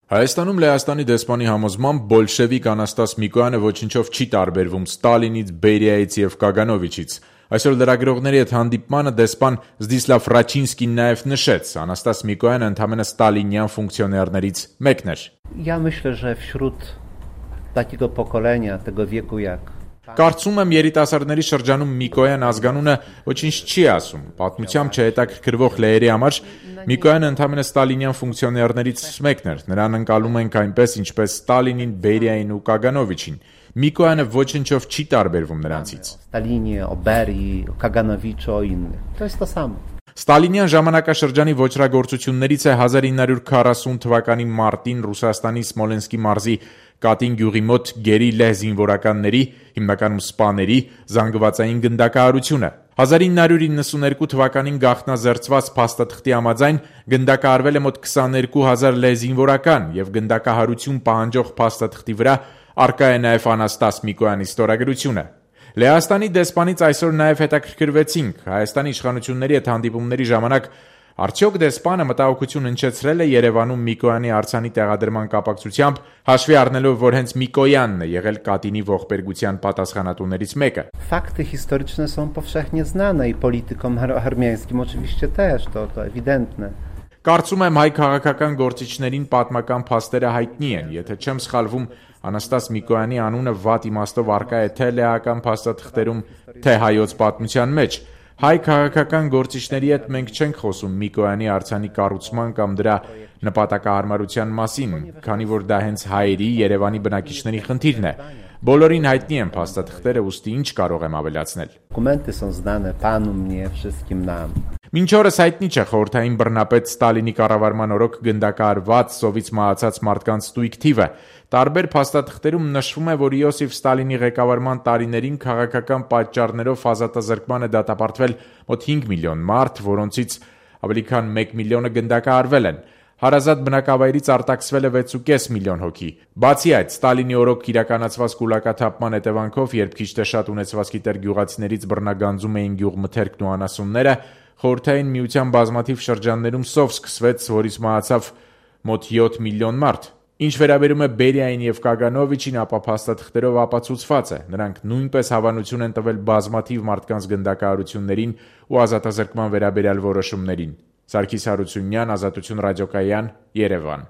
Հայաստանում Լեհաստանի դեսպանի համոզմամբ բոլշևիկ Անաստաս Միկոյանը ոչնչով չի տարբերվում Ստալինից, Բերիայից եւ Կագանովիչից։ Այսօր լրագրողների հետ հանդիպմանը դեսպան Զդիսլավ Ռաչինսկին նաեւ նշեց, Անաստաս Միկոյանը ընդամենը ստալինյան ֆունկցիոներներից մեկն էր։ Я myślę, że wśród takiego pokolenia, tego wieku jak Կարծում եմ երիտասարդների շրջանում Միկոյան ազգանունը ոչինչ չի ասում։ Պատմությամբ չհետաքրքրվող լեերի համար Միկոյանը ընդամենը ստալինյան ֆունկցիոներներից մեկն էր։ Նրան ընկալում ենք այնպես, ինչպես Ստալինին, Բերիային ու Կագանովիչին։ Միկոյանը ոչնչով չի տարբերվում նրանցից։ Stalinie, o Berii, o Kaganowiczu, o innych. To jest to samo. Ստալինյան ժամանակաշրջանի ոչրագործություններից է 1940 թվականի մարտին Ռուսաստանի Սմոլենսկի մարզի Կատին գյուղի մոտ գերի լեհ զինվորականների, հիմնականում սպաների, զանգվածային գնդակահարությունը։ 1992 թվականին գաղտնազերծված փաստաթղթի համաձայն գնդակահարվել է մոտ 22,000 լեհ զինվորական եւ գնդակահարություն պահանջող փաստաթղթի վրա առկա է նաեւ Անաստաս Միկոյանի ստորագրությունը։ Լեհաստանի դեսպանից այսօր նաև հետաքրքրվեցինք Հայաստանի իշխանությունների հետ հանդիպումների ժամանակ արդյոք դեսպանը մտահոգություն հնչեցրել է Երևանում Միկոյանի արձանի տեղադրման կապակցությամբ, հաշվի առնելով, որ հենց Միկոյանն է եղել Կատինի ողբերգության պատասխանատուներից մեկը։ Fakty historyczne są powszechnie znane i politykom armiańskim oczywiście też, to ewidentne. Կարծում եմ հայ քաղաքական գործիչներին պատմական փաստերը հայտնի են, եթե չեմ սխալվում, Անաստաս Միկոյանի անունը վատ իմաստով առկա է թե լեհական փաստաթղթերում, թե հայոց պատմության մեջ։ Հայ քաղաքական գործիչների հետ մենք չենք խոսում Միկոյանի արձանի կառուցման կամ դրա նպատակահարմարության մասին, քանի որ դա հենց հայերի, Երևանի բնակիչների խնդիրն է։ Բոլորին հայտնի են փաստաթղթերը, ուստի ինչ կարող եմ ավելացնել։ Dokumenty są znane panu, mnie, wszystkim nam. Մինչ օրս հայտնի չէ խորհրդային բռնապետ Ստալինի կառավարման օրոք գնդակահարված, սովից մահացած մարդկանց ստույգ թիվը։ Տարբեր փաստաթղթերում նշվում է, որ Իոսիֆ Ստալինի ղեկավարման տարիներին քաղաքական պատճառներով ազատազրկման է դատապարտվել մոտ 5 միլիոն մարդ, որոնցից ավելի քան 1 միլիոնը գնդակահարվել են։ Հարազատ բնակավայրից արտաքսվել է 6.5 միլիոն հոգի։ Բացի այդ, Ստալինի օրոք իրականացված կուլակաթափման հետևանքով, երբ քիչ թե շատ ունեցվածքի տեր գյուղացիներից բռնագանձում էին գյուղմթերքն ու անասունները, Խորհրդային միության բազմաթիվ շրջաններում սով սկսվեց, որից մահացավ մոտ 7 միլիոն մարդ։ Ինչ վերաբերում է Բերիային եւ Կագանովիչին, ապա փաստաթղթերով ապացուցված է, նրանք նույնպես հավանություն են տվել բազմաթիվ մարդկանց գնդակահարություններին ու ազատազրկման վերաբերյալ որոշումներին։ Սարգիս Հարությունյան, Ազատություն ռադիոկայան, Երևան։